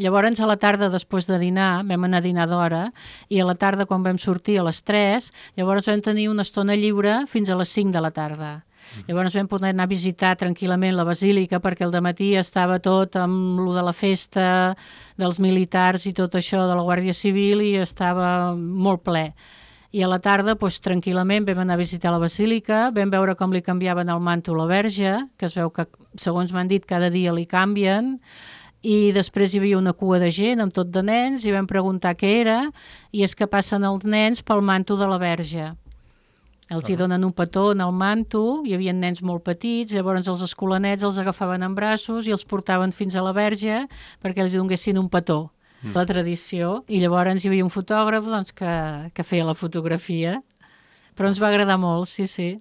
Llavors, a la tarda, després de dinar, vam anar a dinar d'hora, i a la tarda, quan vam sortir a les 3, llavors vam tenir una estona lliure fins a les 5 de la tarda. Llavors vam poder anar a visitar tranquil·lament la basílica, perquè al dematí estava tot amb lo de la festa dels militars i tot això de la Guàrdia Civil i estava molt ple. I a la tarda, doncs, tranquil·lament, vam anar a visitar la basílica, vam veure com li canviaven el manto a la Verge, que es veu que, segons m'han dit, cada dia li canvien, i després hi havia una cua de gent amb tot de nens i vam preguntar què era, i és que passen els nens pel manto de la Verge. Els hi donen un petó en el manto, hi havia nens molt petits, llavors els escolanets els agafaven en braços i els portaven fins a la Verge perquè els donessin un petó, la tradició. I llavors hi havia un fotògraf doncs, que feia la fotografia. Però ens va agradar molt, sí, sí.